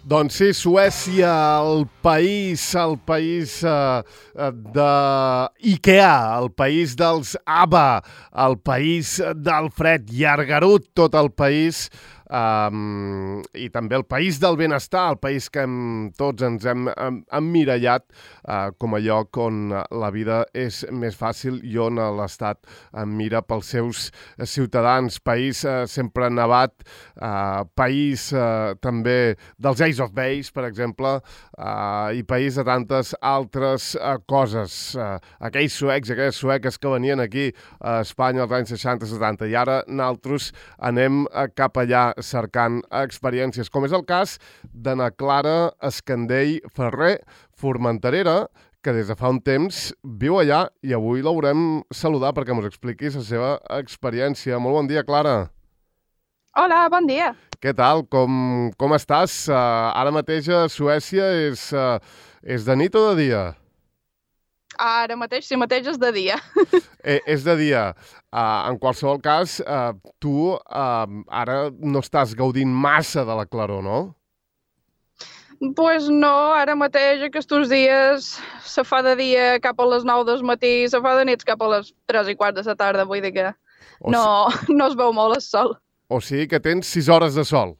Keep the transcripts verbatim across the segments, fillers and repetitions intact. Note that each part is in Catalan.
Doncs sí, Suècia, el país, el país eh, de Ikea, el país dels ABBA, el país del Fred Llargarut, tot el país, um, i també el país del benestar, el país que hem, tots ens hem, hem emmirallat uh, com a lloc on la vida és més fàcil i on l'Estat mira pels seus ciutadans. País uh, sempre nevat, uh, país uh, també dels Ace of Base, per exemple, uh, i país de tantes altres uh, coses. Uh, aquells suecs, aquelles sueques que venien aquí a Espanya als anys seixanta setanta, i ara nosaltres anem uh, cap allà cercant experiències, com és el cas d'Anna Clara Escandell Ferrer, formenterera, que des de fa un temps viu allà, i avui la volem saludar perquè ens expliquis la seva experiència. Molt bon dia, Clara. Hola, bon dia. Què tal? Com, com estàs? Uh, ara mateix a Suècia és, uh, és de nit o de dia? Ara mateix, sí mateix és de dia. eh, és de dia. Uh, en qualsevol cas, uh, tu uh, ara no estàs gaudint massa de la claror, no? Pues no, ara mateix aquests dies se fa de dia cap a les nou del matí, se fa de nits cap a les tres i quart de la tarda, vull dir que o no, si... no es veu molt el sol. O sigui que tens sis hores de sol.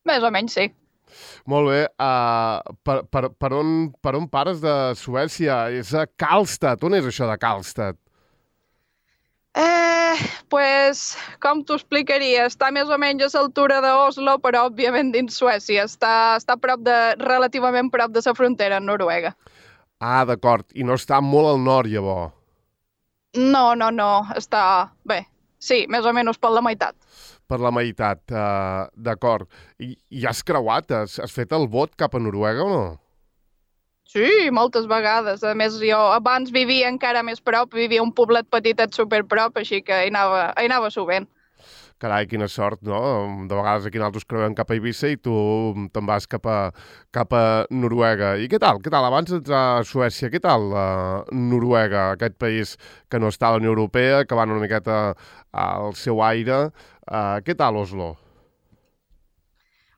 Més o menys, sí. Molt bé. Uh, per, per, per, on, per on pares de Suècia? És a Karlstad. On és això de Karlstad? Eh, pues, com t'ho explicaria? Està més o menys a l'altura d'Oslo, però òbviament dins Suècia. Està, està prop de, relativament prop de la frontera amb Noruega. Ah, d'acord. I no està molt al nord, llavors? No, no, no. Està... Bé, sí, més o menys per la meitat. Per la meitat, uh, d'acord. I, I has creuat? Has, has fet el vot cap a Noruega o no? Sí, moltes vegades. A més, jo abans vivia encara més prop, vivia un poblet petitet superprop, així que hi anava, hi anava sovint. Carai, quina sort, no? De vegades aquí nosaltres creuem cap a Eivissa i tu te'n vas cap a, cap a Noruega. I què tal? Què tal? Abans d'entrar a Suècia, què tal uh, Noruega, aquest país que no està a la Unió Europea, que va una miqueta al seu aire? Uh, què tal Oslo?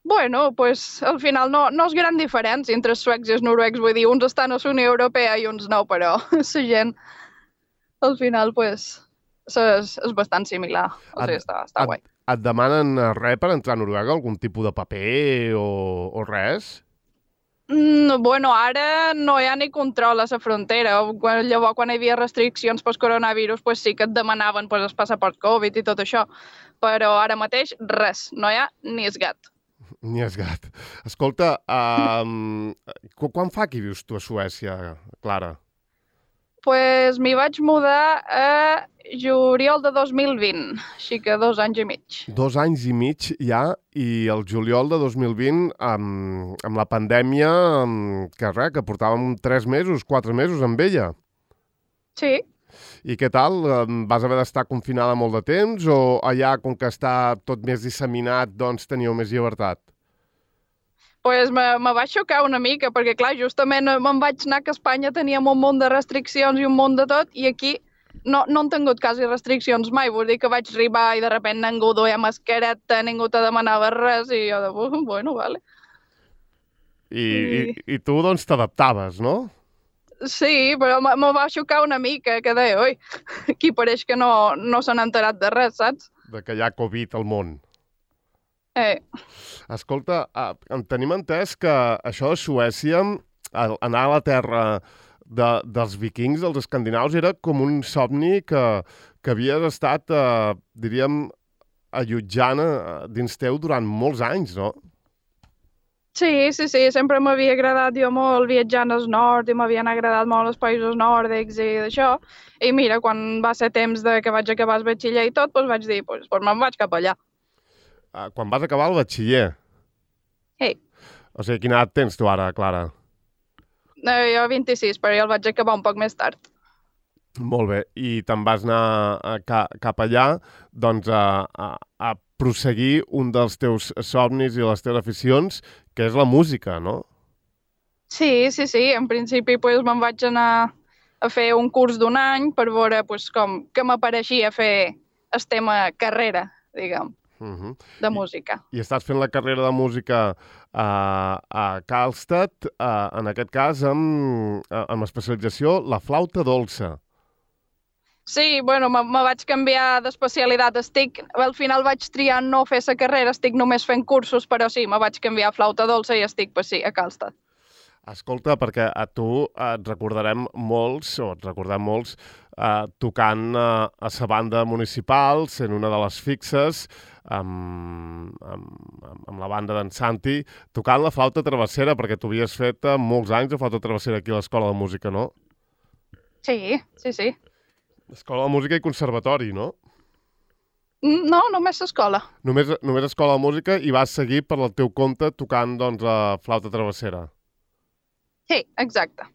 Bueno, pues al final no, no és gran diferència entre els suecs i els noruecs, vull dir, uns estan a la Unió Europea i uns no, però la gent al final pues és, és bastant similar, o sigui, et, està, està et, guai. Et demanen res per entrar a Noruega, algun tipus de paper o, o res? Mm, bueno, ara no hi ha ni control a la frontera. Quan, llavors, quan hi havia restriccions pel coronavirus, pues sí que et demanaven pues, el passaport Covid i tot això, però ara mateix res, no hi ha ni es gat. Ni es gat. Escolta, um, quan fa que vius tu a Suècia, Clara? Pues m'hi vaig mudar a juliol de dos mil vint, així que dos anys i mig. Dos anys i mig ja, i el juliol de dos mil vint, amb, amb la pandèmia, amb, que res, que portàvem tres mesos, quatre mesos amb ella. Sí. I què tal? Vas haver d'estar confinada molt de temps o allà, com que està tot més disseminat, doncs teníeu més llibertat? Pues me, me va xocar una mica, perquè clar, justament me'n vaig anar que a Espanya teníem un munt de restriccions i un munt de tot, i aquí no, no han tingut quasi restriccions mai. Vull dir que vaig arribar i de repente ningú duia mascareta, ningú te demanava res, i jo de, bueno, vale. I, I, i tu, doncs, t'adaptaves, no? Sí, però me va xocar una mica, que deia, oi, aquí pareix que no, no s'han enterat de res, saps? De que hi ha Covid al món. Eh. Escolta, uh, tenim entès que això de Suècia, anar a la terra de, dels vikings, dels escandinaus, era com un somni que, que havies estat, uh, diríem, allotjant uh, dins teu durant molts anys, no? Sí, sí, sí, sempre m'havia agradat jo molt viatjar al nord i m'havien agradat molt els països nòrdics i d'això. I mira, quan va ser temps de que vaig acabar el batxiller i tot, doncs vaig dir, doncs, doncs me'n vaig cap allà. Uh, quan vas acabar el batxiller? Sí. O sigui, quina edat tens tu ara, Clara? Eh, jo vint-i-sis, però jo el vaig acabar un poc més tard. Molt bé. I te'n vas anar a, a, cap allà, doncs, a, a, a prosseguir un dels teus somnis i les teves aficions, que és la música, no? Sí, sí, sí. En principi pues, me'n vaig anar a fer un curs d'un any per veure pues, com que m'apareixia fer el tema carrera, diguem. Uh-huh. de música. I, I estàs fent la carrera de música a, a Karlstad, a, en aquest cas amb, amb especialització la flauta dolça. Sí, bueno, me, me vaig canviar d'especialitat. Estic, al final vaig triar no fer la carrera, estic només fent cursos, però sí, me vaig canviar a flauta dolça i estic, pues sí, a Karlstad. Escolta, perquè a tu et recordarem molts, o et recordem molts, eh, tocant eh, a la banda municipal, sent una de les fixes, amb, amb, amb la banda d'en Santi, tocant la flauta travessera, perquè tu havies fet eh, molts anys de flauta travessera aquí a l'Escola de Música, no? Sí, sí, sí. Escola de Música i Conservatori, no? No, només l'escola. Només, només Escola de Música i vas seguir per el teu compte tocant, doncs, la flauta travessera. Sí, exacte.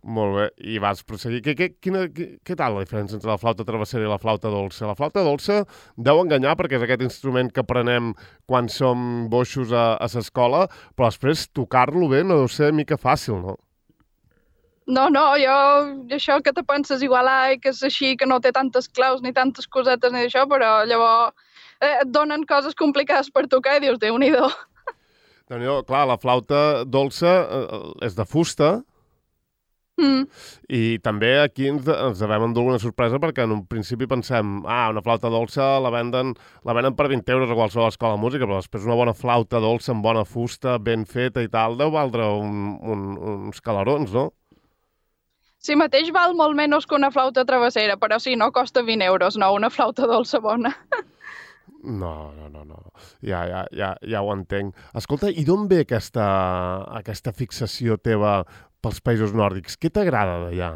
Molt bé, i vas prosseguir. Què, què, quina, què, què tal la diferència entre la flauta travessera i la flauta dolça? La flauta dolça deu enganyar perquè és aquest instrument que aprenem quan som boixos a, a l'escola, però després tocar-lo bé no deu ser mica fàcil, no? No, no, jo, això que te penses igual, ai, que és així, que no té tantes claus ni tantes cosetes ni d'això, però llavors eh, et donen coses complicades per tocar i dius, Déu-n'hi-do. Déu-n'hi-do, clar, la flauta dolça eh, és de fusta, Mm. i també aquí ens, ens devem endur una sorpresa perquè en un principi pensem, ah, una flauta dolça la venden, la venen per vint euros a qualsevol escola de música, però després una bona flauta dolça amb bona fusta, ben feta i tal, deu valdre un, un, uns calarons, no? Sí, mateix val molt menys que una flauta travessera, però sí, no costa vint euros, no, una flauta dolça bona. No, no, no, no. Ja, ja, ja, ja ho entenc. Escolta, i d'on ve aquesta, aquesta fixació teva pels països nòrdics? Què t'agrada d'allà?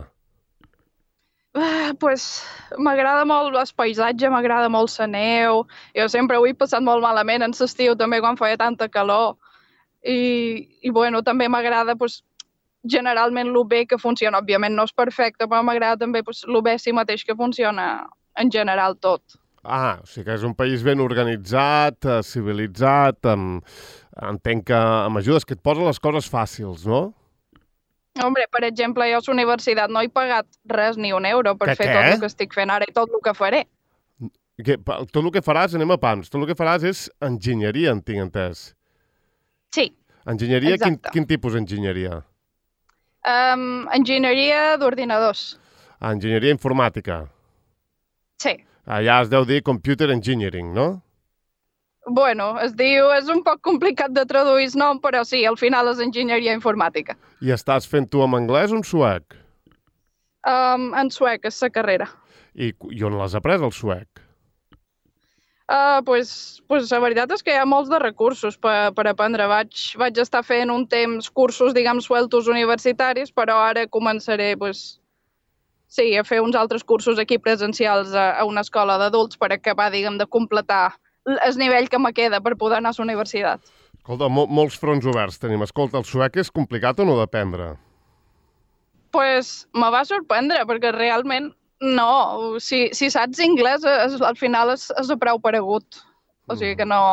Ah, pues, m'agrada molt el paisatge, m'agrada molt la neu. Jo sempre ho he passat molt malament en l'estiu, també quan feia tanta calor. I, i bueno, també m'agrada pues, generalment el bé que funciona. Òbviament no és perfecte, però m'agrada també pues, el bé si mateix que funciona en general tot. Ah, o sigui que és un país ben organitzat, eh, civilitzat, amb... entenc que amb ajudes que et posen les coses fàcils, no? Hombre, per exemple, jo a la universitat no he pagat res ni un euro per que fer què? tot el que estic fent ara i tot el que faré. Que, tot el que faràs, anem a pams, tot el que faràs és enginyeria, en tinc entès. Sí, Enginyeria, quin, exacte. quin tipus d'enginyeria? Um, enginyeria d'ordinadors. Ah, enginyeria informàtica. Sí. Allà es deu dir computer engineering, no? Bueno, es diu, és un poc complicat de traduir el nom, però sí, al final és enginyeria informàtica. I estàs fent tu en anglès o en suec? Um, en suec és la carrera. I, i on l'has après, el suec? Uh, pues, pues la veritat és que hi ha molts de recursos per, per aprendre. Vaig, vaig estar fent un temps cursos, diguem, sueltos universitaris, però ara començaré, pues, sí, a fer uns altres cursos aquí presencials a, a una escola d'adults per acabar, diguem, de completar el nivell que me queda per poder anar a la universitat. Escolta, mo molts fronts oberts tenim. Escolta, el suec és complicat o no d'aprendre? Pues me va sorprendre, perquè realment no. Si, si saps anglès, és, al final és, és prou paregut. O sigui que no,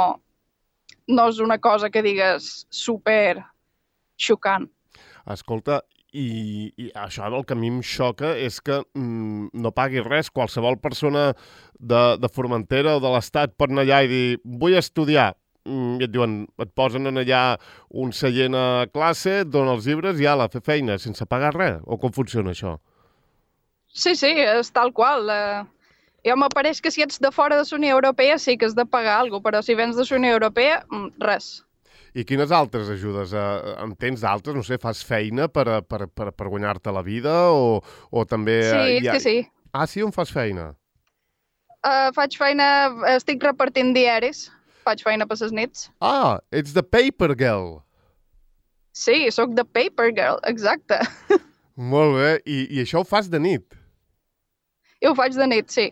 no és una cosa que digues super xocant. Escolta, i, i això el que a mi em xoca és que mm, no pagui res. Qualsevol persona de, de Formentera o de l'Estat pot anar allà i dir vull estudiar. Mm, I et diuen, et posen allà un seient a classe, et donen els llibres i ala, fer feina, sense pagar res. O com funciona això? Sí, sí, és tal qual. Uh, jo m'apareix que si ets de fora de la Unió Europea sí que has de pagar alguna cosa, però si vens de la Unió Europea, res. I quines altres ajudes? Eh, en tens d'altres? No sé, fas feina per, per, per, per guanyar-te la vida o, o també... Sí, hi ha... sí, sí. Ah, sí? On fas feina? Uh, faig feina, estic repartint diaris, faig feina per les nits. Ah, ets the paper girl. Sí, sóc the paper girl, exacte. Molt bé. I, i això ho fas de nit? I ho faig de nit, sí.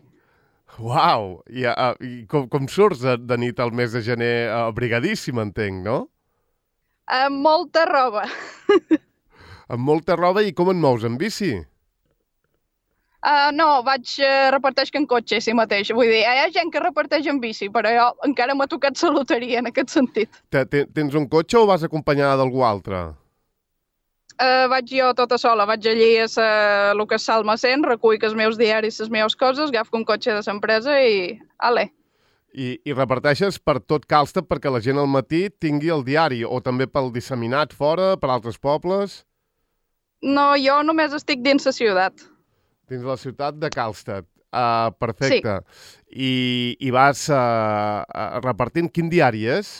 Uau! I, uh, i com, com surts de, de nit al mes de gener abrigadíssim, entenc, no? Amb molta roba. Amb molta roba i com et mous, en bici? Uh, no, vaig uh, reparteix en cotxe, sí mateix. Vull dir, hi ha gent que reparteix en bici, però jo encara m'ha tocat la loteria en aquest sentit. Te, te, tens un cotxe o vas acompanyada d'algú altre? Uh, vaig jo tota sola, vaig allí a sa, el que és Salma cent, recull els meus diaris, les meves coses, agafo un cotxe de l'empresa i... Ale. I, I reparteixes per tot Calstat perquè la gent al matí tingui el diari, o també pel disseminat fora, per altres pobles? No, jo només estic dins la ciutat. Dins la ciutat de Calstat. Uh, perfecte. Sí. I, i vas uh, uh, repartint. Quin diari és?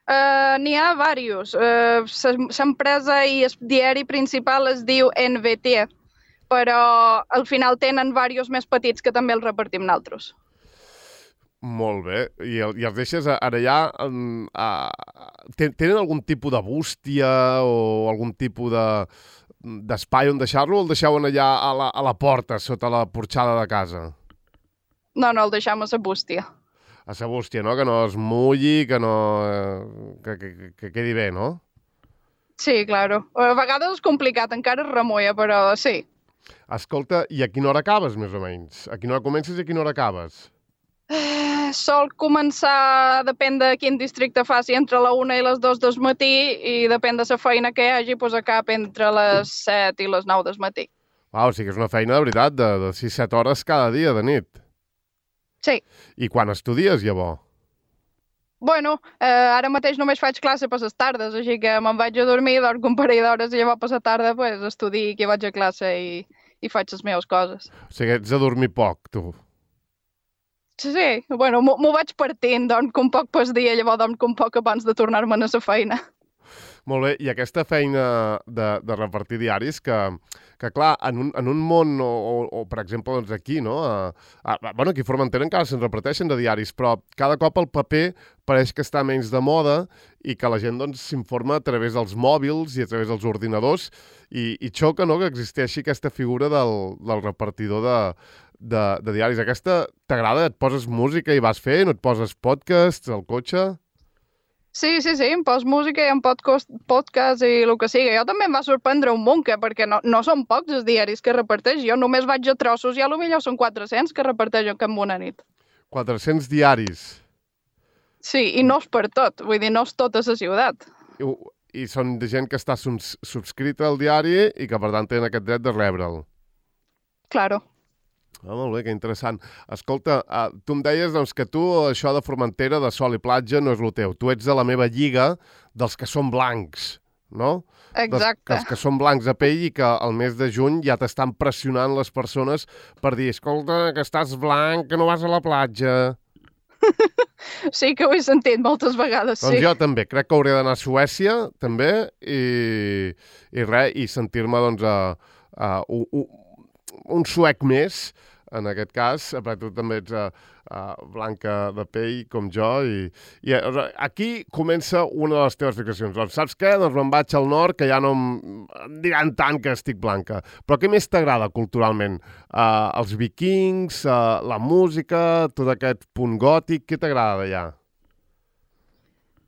Uh, N'hi ha diversos. Uh, L'empresa i el diari principal es diu N V T, però al final tenen diversos més petits que també els repartim nosaltres. Molt bé. I, el, i els deixes ara allà... Um, uh, tenen algun tipus de bústia o algun tipus de d'espai on deixar-lo, o el deixaven allà a la, a la porta, sota la porxada de casa? No, no, el deixam a la bústia. A la bústia, no? Que no es mulli, que no... que, que, que quedi bé, no? Sí, claro. A vegades és complicat, encara es remulla, però sí. Escolta, i a quina hora acabes, més o menys? A quina hora comences i a quina hora acabes? Uh, sol començar, depèn de quin districte faci, entre la una i les dos del matí, i depèn de la feina que hi hagi, doncs acab entre les set i les nou del matí. Uau, o sigui que és una feina, de veritat, de, de sis set hores cada dia de nit. Sí. I quan estudies, llavors? Bueno, eh, ara mateix només faig classe per les tardes, així que me'n vaig a dormir, dorm un parell d'hores i llavors per la tarda pues, estudio que vaig a classe i, i faig les meves coses. O sigui, ets a dormir poc, tu. Sí, bueno, m'ho vaig partint, dorm un poc per dia, llavors dorm un poc abans de tornar-me'n a la feina. Molt bé, i aquesta feina de, de repartir diaris, que, que clar, en un, en un món, o, o, o per exemple, doncs aquí, no? A, a, bueno, aquí a Formentera encara se'n reparteixen de diaris, però cada cop el paper pareix que està menys de moda i que la gent doncs s'informa a través dels mòbils i a través dels ordinadors, i, i xoca, no?, que existeixi aquesta figura del, del repartidor de, de, de diaris. Aquesta t'agrada? Et poses música i vas fent? Et poses podcasts al cotxe? Sí, sí, sí, em poso música i em podcast, podcast i el que sigui. Jo també em va sorprendre un munt, que, perquè no, no són pocs els diaris que reparteix. Jo només vaig a trossos i a lo millor són quatre-cents que reparteixen en una nit. quatre-cents diaris? Sí, i no és per tot, vull dir, no és tota la ciutat. I, i són de gent que està subscrita al diari i que, per tant, tenen aquest dret de rebre'l. Claro. Ah, molt bé, que interessant. Escolta, uh, tu em deies doncs, que tu això de Formentera, de sol i platja, no és el teu. Tu ets de la meva lliga dels que són blancs, no? Exacte. Dels, que són blancs a pell i que al mes de juny ja t'estan pressionant les persones per dir, escolta, que estàs blanc, que no vas a la platja. Sí, que ho he sentit moltes vegades, sí. Doncs jo també. Crec que hauré d'anar a Suècia, també, i, i res, i sentir-me, doncs, a, a, un, un, un suec més, en aquest cas, perquè tu també ets uh, uh, blanca de pell, com jo, i, i uh, aquí comença una de les teves fixacions. Doncs saps què? Doncs me'n vaig al nord, que ja no em, em diran tant que estic blanca. Però què més t'agrada culturalment? Uh, els vikings, uh, la música, tot aquest punt gòtic, què t'agrada d'allà?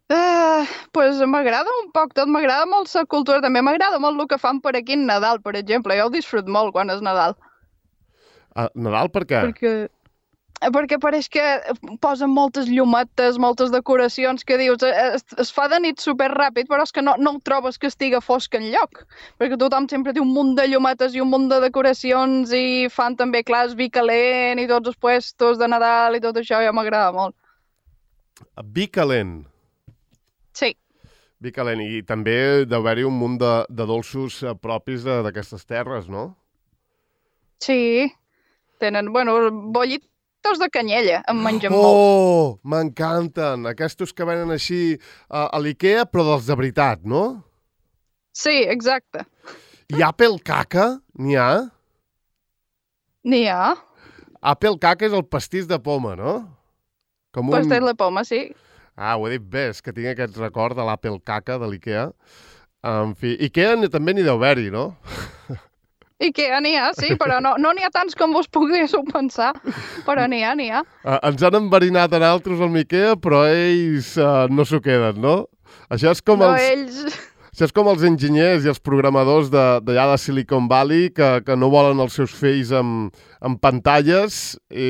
Uh, pues m'agrada un poc tot, m'agrada molt la cultura, també m'agrada molt el que fan per aquí en Nadal, per exemple. Jo ho disfrut molt quan és Nadal. Uh, Nadal per què? Perquè, perquè pareix que posen moltes llumetes, moltes decoracions, que dius, es, es fa de nit super ràpid, però és que no, no ho trobes que estiga fosc enlloc, perquè tothom sempre té un munt de llumetes i un munt de decoracions i fan també, clar, el vi calent i tots els puestos de Nadal i tot això, ja m'agrada molt. Vi calent? Sí. Vi calent, i també deu haver-hi un munt de, de dolços propis d'aquestes terres, no? Sí. Tenen, bueno, bollitos de canyella, em mengen oh, molts. Oh, m'encanten! Aquests que venen així uh, a l'Ikea, però dels de veritat, no? Sí, exacte. I Apple Caca, n'hi ha? N'hi ha. Apple Caca és el pastís de poma, no? Com un... Pastís de poma, sí. Ah, ho he dit bé, és que tinc aquest record de l'Apple Caca de l'Ikea. En fi, Ikea també n'hi deu haver-hi, no? Ikea n'hi ha, sí, però no n'hi no ha tants com vos poguéssiu pensar, però n'hi ha, n'hi ha. Uh, ens han enverinat a nosaltres amb Ikea, però ells uh, no s'ho queden, no? Això és com no, els... ells... Això és com els enginyers i els programadors d'allà de, de Silicon Valley que, que no volen els seus fills amb, amb pantalles, i,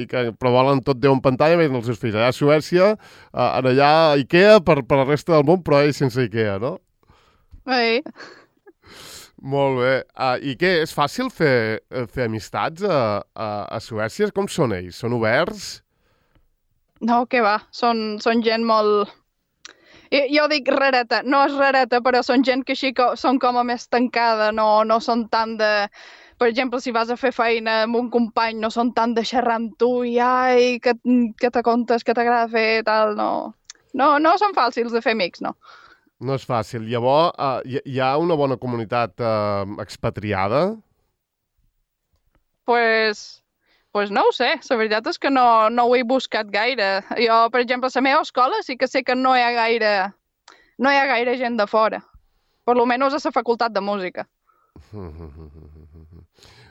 i que, però volen tot Déu en pantalla, més els seus fills. Allà a Suècia, uh, en allà Ikea per, per la resta del món, però ells sense Ikea, no? Sí. Molt bé. Uh, I què, és fàcil fer, fer amistats a, a, a Suècia? Com són ells? Són oberts? No, què va, són, són gent molt... Jo, jo dic rareta, no és rareta, però són gent que així que són com a més tancada, no, no són tant de... Per exemple, si vas a fer feina amb un company, no són tant de xerrar amb tu i ai, que, que te contes, que t'agrada fer, tal, no. No, no són fàcils de fer amics, no. No és fàcil. Llavors, uh, hi, hi ha una bona comunitat uh, expatriada? Pues, pues no ho sé, la veritat és que no, no ho he buscat gaire. Jo, per exemple, a la meva escola sí que sé que no hi ha gaire, no hi ha gaire gent de fora. Per lo menys a la facultat de música.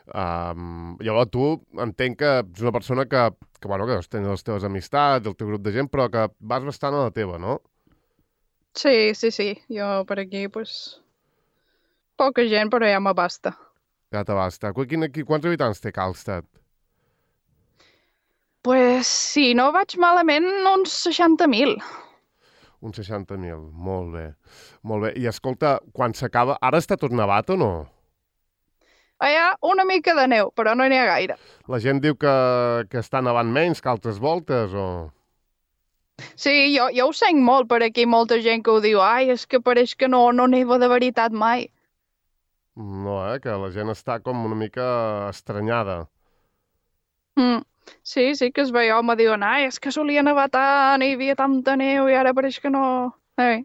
Um, llavors tu entenc que ets una persona que, que, bueno, que tens les teves amistats, el teu grup de gent, però que vas bastant a la teva, no? Sí, sí, sí. Jo per aquí, pues, poca gent, però ja m'abasta. Ja t'abasta. Qu quin, qui, quants habitants té Karlstad? Pues, si no vaig malament, uns seixanta mil. Uns seixanta mil. Molt bé. Molt bé. I escolta, quan s'acaba... Ara està tot nevat o no? Hi ha una mica de neu, però no n'hi ha gaire. La gent diu que, que està nevant menys que altres voltes, o...? Sí, jo, jo ho sent molt per aquí, molta gent que ho diu, ai, és que pareix que no, no neva de veritat mai. No, eh? Que la gent està com una mica estranyada. Mm. Sí, sí que es veia, home, diuen, ai, és que solia nevar tant, hi havia tanta neu i ara pareix que no... Ei.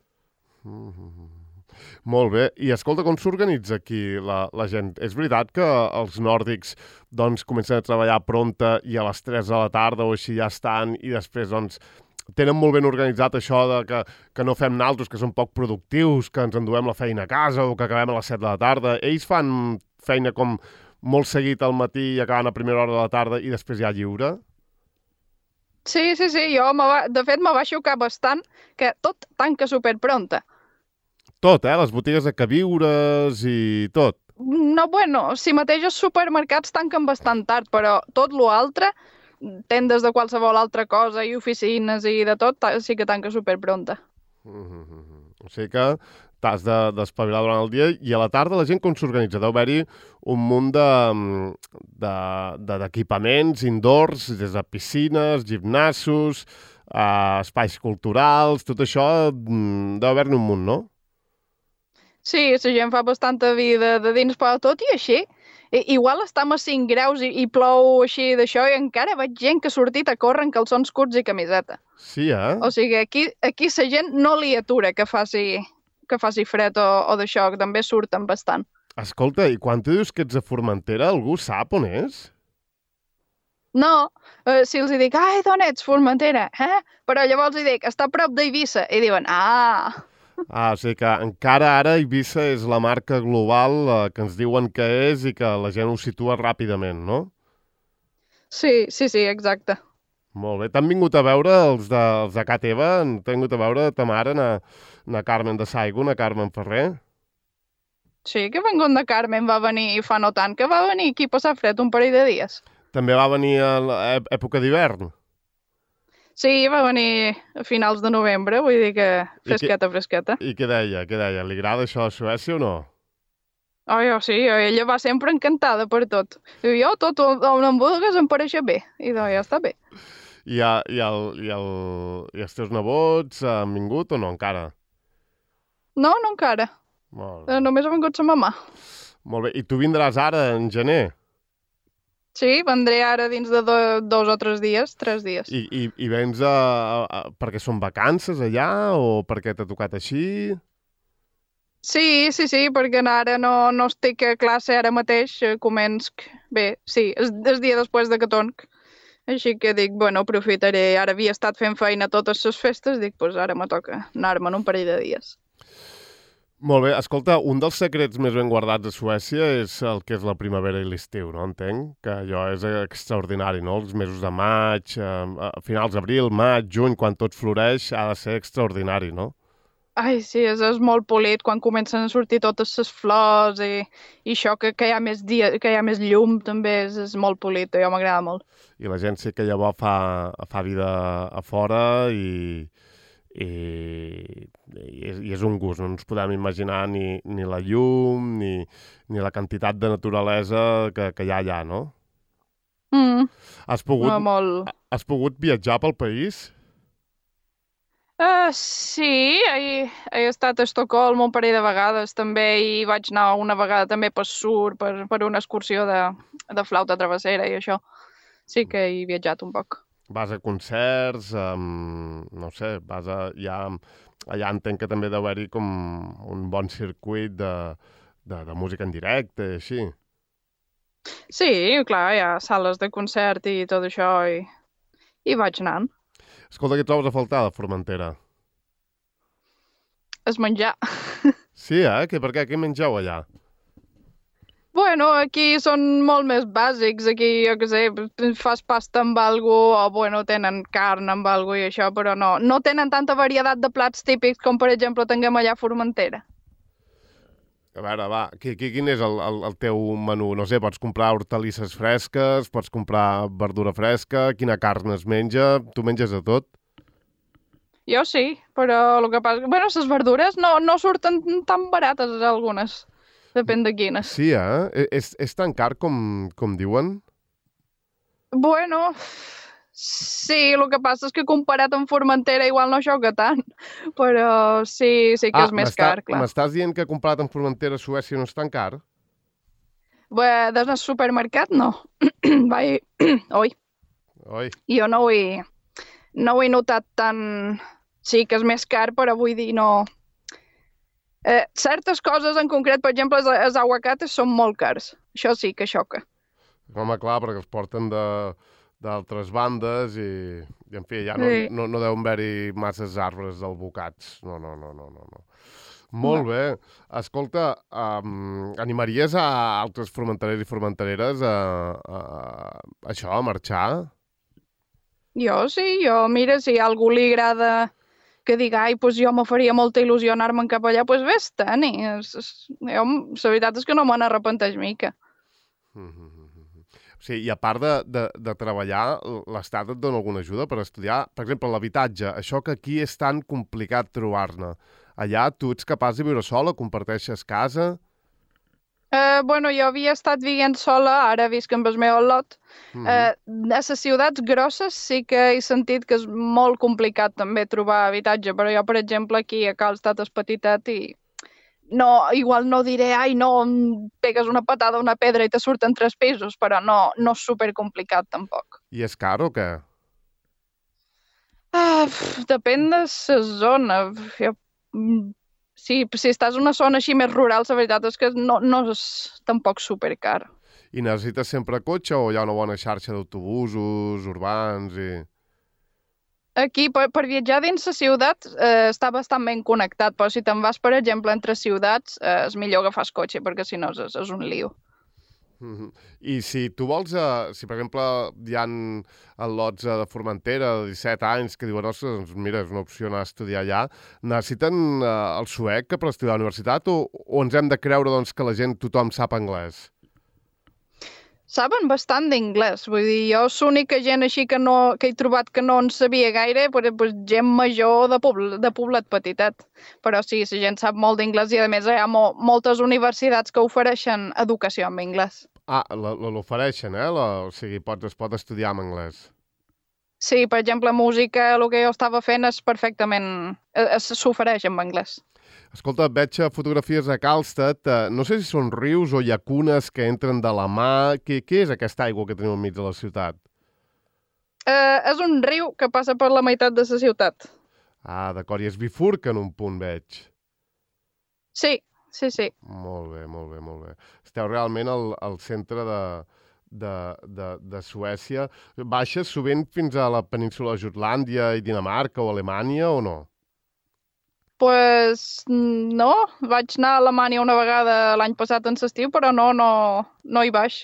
Mm -hmm. Molt bé. I escolta, com s'organitza aquí la, la gent? És veritat que els nòrdics doncs, comencen a treballar pronta i a les tres de la tarda o així ja estan i després doncs, tenen molt ben organitzat això de que, que no fem naltros, que són poc productius, que ens enduem la feina a casa o que acabem a les set de la tarda. Ells fan feina com molt seguit al matí i acaben a primera hora de la tarda i després ja lliure? Sí, sí, sí, jo, va, de fet, me va xocar bastant que tot tanca superpronta. Tot, eh? Les botigues de queviures i tot. No, bueno, si mateix els supermercats tanquen bastant tard, però tot l'altre, tendes de qualsevol altra cosa i oficines i de tot, sí que tanca superpronta. Mm -hmm. O sigui que t'has d'espavilar de, durant el dia i a la tarda la gent com s'organitza? Deu haver-hi un munt d'equipaments de, de, indoors, des de piscines, gimnasos, eh, espais culturals, tot això deu haver-ne un munt, no? Sí, la gent fa bastanta vida de dins, però tot i així, igual estem a cinc graus i, i plou així d'això i encara veig gent que ha sortit a córrer en calçons curts i camiseta. Sí, eh? O sigui, aquí, aquí la gent no li atura que faci, que faci fred o, o d'això, que també surten bastant. Escolta, i quan tu dius que ets a Formentera, algú sap on és? No, eh, si els dic, ai, d'on ets, Formentera, eh? Però llavors hi dic, està a prop d'Eivissa, i diuen, ah... Ah, o sigui que encara ara Eivissa és la marca global eh, que ens diuen que és i que la gent ho situa ràpidament, no? Sí, sí, sí, exacte. Molt bé. T'han vingut a veure els de, els de Ca Teva? T'han vingut a veure ta mare, na, na Carmen de Saigo, na Carmen Ferrer? Sí, que vengut de Carmen va venir fa no tant, que va venir aquí a passar fred un parell de dies. També va venir a l'època d'hivern? Sí, va venir a finals de novembre, vull dir que fresqueta, I que, fresqueta. I què deia? Què deia? Li agrada això a Suècia o no? Oh, jo sí, ella va sempre encantada per tot. Diu, jo tot on em vulguis em pareixia bé. I doncs ja està bé. I, a, i, el, i, el, I els teus nebots han vingut o no encara? No, no encara. Molt bé. Només ha vingut sa mamà. Molt bé. I tu vindràs ara, en gener? Sí, vendré ara dins de do, dos o tres dies, tres dies. I, i, i vens a, a, a, perquè són vacances allà o perquè t'ha tocat així? Sí, sí, sí, perquè ara no, no estic a classe ara mateix, començc... Bé, sí, és el dia després de que tonc. Així que dic, bueno, aprofitaré. Ara havia estat fent feina totes les festes, dic, doncs ara me toca anar-me'n un parell de dies. Molt bé. Escolta, un dels secrets més ben guardats a Suècia és el que és la primavera i l'estiu, no? Entenc que allò és extraordinari, no? Els mesos de maig, a finals d'abril, maig, juny, quan tot floreix, ha de ser extraordinari, no? Ai, sí, és, és molt polit quan comencen a sortir totes les flors i, i això, que, que, hi ha més dia, que hi ha més llum, també és, és molt polit, jo m'agrada molt. I la gent sí que llavors fa, fa vida a fora i... I, i, és, i és un gust, no ens podem imaginar ni, ni la llum ni, ni la quantitat de naturalesa que, que hi ha allà, no? Mm. Has pogut, no, molt... Has pogut viatjar pel país? Uh, sí, he, he estat a Estocolm un parell de vegades també i vaig anar una vegada també per Sur, per, per una excursió de, de flauta travessera i això. Sí que he viatjat un poc. Vas a concerts, um, no sé, vas a... Ja, allà entenc que també deu haver-hi com un bon circuit de, de, de música en directe i així. Sí, clar, hi ha sales de concert i tot això i, i vaig anant. Escolta, què trobes a faltar de Formentera? És menjar. Sí, eh? Que, per què? Què mengeu allà? Bueno, aquí són molt més bàsics. Aquí, jo què sé, fas pasta amb algú o, bueno, tenen carn amb algú i això, però no, no tenen tanta varietat de plats típics com, per exemple, tinguem allà a Formentera. A veure, va, quin és el, el, el teu menú? No sé, pots comprar hortalisses fresques, pots comprar verdura fresca, quina carn es menja, tu menges de tot? Jo sí, però el que passa... Bueno, les verdures no, no surten tan barates algunes. Depèn de quines. Sí, eh? És, és tan car com, com diuen? Bueno, sí, el que passa és que comparat amb Formentera igual no xoca tant, però sí, sí que ah, és més car, clar. M'estàs dient que comparat amb Formentera, Suècia no és tan car? Bé, des del supermercat no. Vai... Oi. Oi. Jo no ho he, no ho he notat tan... Sí que és més car, però vull dir, no... Eh, certes coses en concret, per exemple, els, els aguacates són molt cars. Això sí que xoca. Home, clar, perquè els porten de d'altres bandes i, i, en fi, ja no, Sí. no, no deuen haver-hi masses arbres d'albocats. No, no, no, no, no. no. Molt No. bé. Escolta, um, animaries a altres formenterers i formentereres a, a, a això, a marxar? Jo sí, jo, mira, si a algú li agrada que diga, ai, doncs jo me faria molta il·lusió anar-me'n cap allà, doncs vés-te'n. Jo, la veritat és que no me n'arrepenteix mica. Mm -hmm. Sí, i a part de, de, de treballar, l'Estat et dona alguna ajuda per estudiar? Per exemple, l'habitatge, això que aquí és tan complicat trobar-ne. Allà tu ets capaç de viure sola, comparteixes casa? Eh, bueno, jo havia estat vivint sola, ara visc amb el meu al·lot. Mm -hmm. Eh, a les ciutats grosses sí que he sentit que és molt complicat també trobar habitatge, però jo, per exemple, aquí a Calstat és petitet i no, igual no diré, ai, no, em pegues una patada a una pedra i te surten tres pisos, però no, no és supercomplicat tampoc. I és car o què? Ah, pf, depèn de la zona. Jo, mm, sí, si estàs en una zona així més rural, la veritat és que no, no és tampoc supercar. I necessites sempre cotxe o hi ha una bona xarxa d'autobusos urbans i... Aquí, per, per viatjar dins la ciutat, eh, està bastant ben connectat, però si te'n vas, per exemple, entre ciutats, eh, és millor agafar el cotxe, perquè si no és, és un lío. Mm-hmm. I si tu vols, eh, si per exemple hi ha al·lots de Formentera de disset anys que diuen, ostres, doncs mira, és una opció anar a estudiar allà, necessiten eh, el suec per estudiar a la universitat o, o ens hem de creure doncs, que la gent, tothom sap anglès? Saben bastant d'inglès, vull dir, jo l'única gent així que, no, que he trobat que no en sabia gaire, però, pues, gent major de, pobl de poblet petitet. Però sí, la gent sap molt d'inglès i a més hi ha mo moltes universitats que ofereixen educació en anglès. Ah, l'ofereixen, eh? La, o sigui, pots, es pot estudiar en anglès. Sí, per exemple, música, el que jo estava fent és perfectament... s'ofereix en anglès. Escolta, veig fotografies a Calstat. Eh, no sé si són rius o llacunes que entren de la mà. Què, què és aquesta aigua que tenim enmig de la ciutat? Eh, és un riu que passa per la meitat de la ciutat. Ah, d'acord. I es bifurca en un punt, veig. Sí, sí, sí. Molt bé, molt bé, molt bé. Esteu realment al, al centre de, de, de, de Suècia. Baixes sovint fins a la península de Jutlàndia i Dinamarca o Alemanya o no? Pues no, vaig anar a Alemanya una vegada l'any passat en l'estiu, però no, no, no hi baix.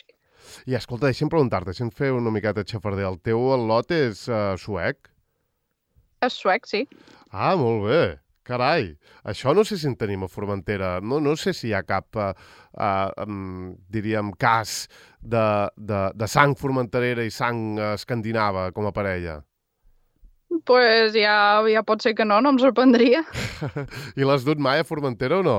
I escolta, deixa'm preguntar-te, deixa'm fer una miqueta de xafarder. El teu al·lot és uh, suec? És suec, sí. Ah, molt bé. Carai, això no sé si en tenim a Formentera. No, no sé si hi ha cap, uh, uh, um, diríem, cas de, de, de sang formenterera i sang uh, escandinava com a parella. Pues ja, ja pot ser que no, no em sorprendria. I l'has dut mai a Formentera o no?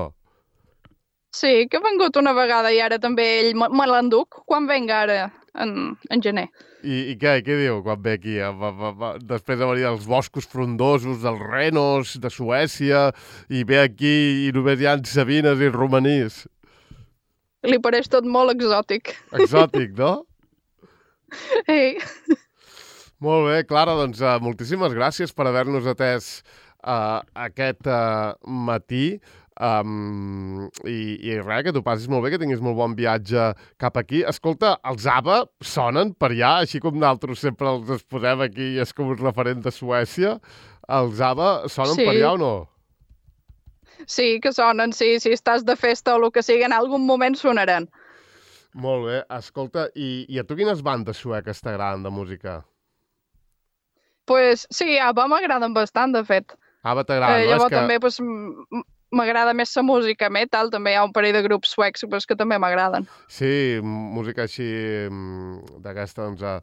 Sí, que ha vengut una vegada i ara també ell me, me l'enduc quan venga ara en, en gener. I, i què, què diu quan ve aquí? Va, va, va, després de venir dels boscos frondosos, dels renos, de Suècia, i ve aquí i només hi ha sabines i romanís. Li pareix tot molt exòtic. Exòtic, no? Ei. Molt bé, Clara, doncs uh, moltíssimes gràcies per haver-nos atès uh, aquest uh, matí. Um, i, I res, que t'ho passis molt bé, que tinguis molt bon viatge cap aquí. Escolta, els ABBA sonen per allà, així com nosaltres sempre els exposem aquí i és com un referent de Suècia. Els ABBA sonen Sí. per allà o no? Sí, que sonen, sí, si estàs de festa o el que sigui, en algun moment sonaran. Molt bé, escolta, i, i a tu quines bandes sueques t'agraden de música? Pues sí, ABBA m'agraden bastant, de fet. ABBA t'agrada, Eh, no? llavors És que... també pues, m- m'agrada més la música metal, també hi ha un parell de grups suecs pues, que també m'agraden. Sí, música així mm, d'aquesta, doncs, a,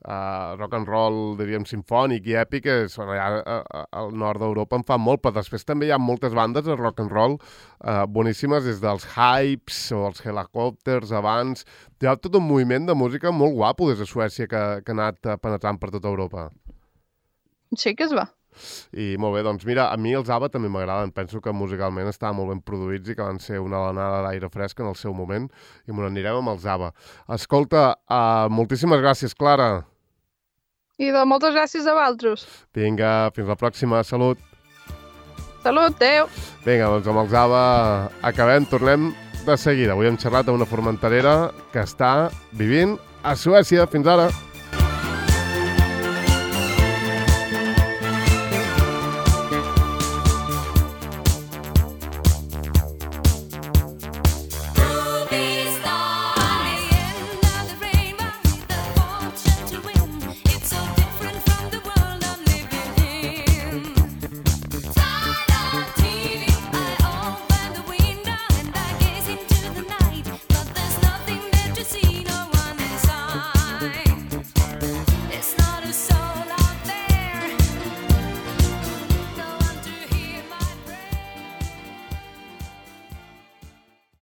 a rock and roll, diríem, simfònic i èpic, és, bueno, allà a, a, al nord d'Europa en fan molt, però després també hi ha moltes bandes de rock and roll eh, boníssimes, des dels Hypes o els Helicopters abans. Hi ha tot un moviment de música molt guapo des de Suècia que, que ha anat penetrant per tota Europa. Sí que es va. I molt bé, doncs mira, a mi els ABBA també m'agraden. Penso que musicalment estaven molt ben produïts i que van ser una alenada d'aire fresc en el seu moment i me n'anirem amb els ABBA. Escolta, uh, moltíssimes gràcies, Clara. I de moltes gràcies a vosaltres. Vinga, fins la pròxima. Salut. Salut, adeu. Vinga, doncs amb els ABBA acabem, tornem de seguida. Avui hem xerrat amb una formenterera que està vivint a Suècia. Fins ara.